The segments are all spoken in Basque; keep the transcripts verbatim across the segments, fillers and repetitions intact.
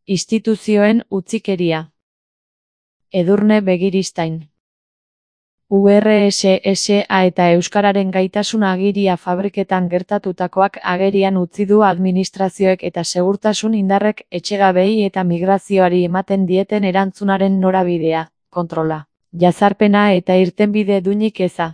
Instituzioen utzikeria. Edurne Begiristain. U R S S A eta Euskararen gaitasun agiria fabriketan gertatutakoak agerian utzi du administrazioek eta segurtasun indarrek etxegabei eta migrazioari ematen dieten erantzunaren norabidea, kontrola, jazarpena eta irtenbide duinik eza.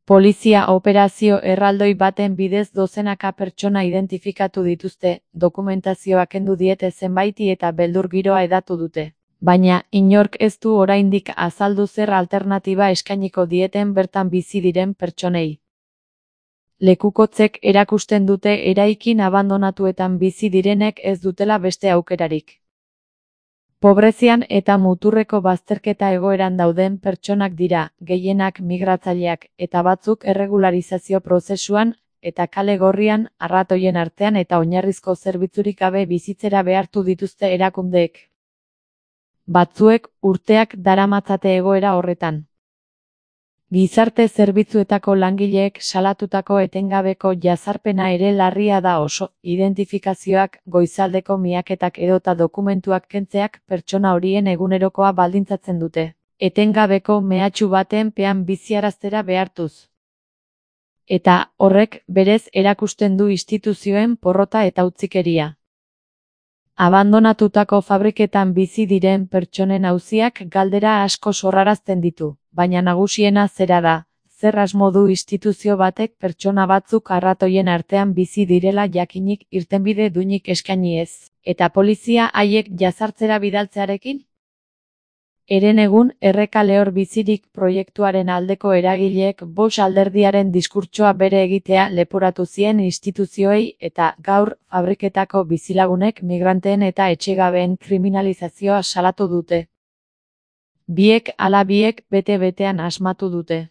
Polizia operazio erraldoi baten bidez dozenaka pertsona identifikatu dituzte, dokumentazioa kendu diete zenbaiti eta beldur giroa hedatu dute. Baina, inork ez du oraindik azaldu zer alternatiba eskainiko dieten bertan bizi diren pertsonei. Lekukotzek erakusten dute eraikin abandonatuetan bizi direnek ez dutela beste aukerarik. Pobrezian eta muturreko bazterketa egoeran dauden pertsonak dira, gehienak migratzaileak, eta batzuk erregularizazio prozesuan, eta kale gorrian, arratoien artean eta oinarrizko zerbitzurik gabe bizitzera behartu dituzte erakundeek. Batzuek urteak daramatzate egoera horretan. Gizarte zerbitzuetako langileek salatutako etengabeko jazarpena ere larria da oso, identifikazioak, goizaldeko miaketak edota dokumentuak kentzeak pertsona horien egunerokoa baldintzatzen dute, etengabeko mehatxu baten pean biziaraztera behartuz. Eta horrek berez erakusten du instituzioen porrota eta utzikeria. Abandonatutako fabriketan bizi diren pertsonen auziak galdera asko sorrarazten ditu, baina nagusiena zera da, zer asmo du instituzio batek pertsona batzuk arratoien artean bizi direla jakinik irtenbide duinik eskaini ez, eta polizia haiek jazartzera bidaltzearekin? Eren egun Erreka lehor bizirik proiektuaren aldeko eragileek Bosch alderdiaren diskurtsoa bere egitea leporatu zien instituzioei eta gaur fabriketako bizilagunek migranteen eta etxegabeen kriminalizazioa salatu dute. Biek ala biek bete-betean asmatu dute.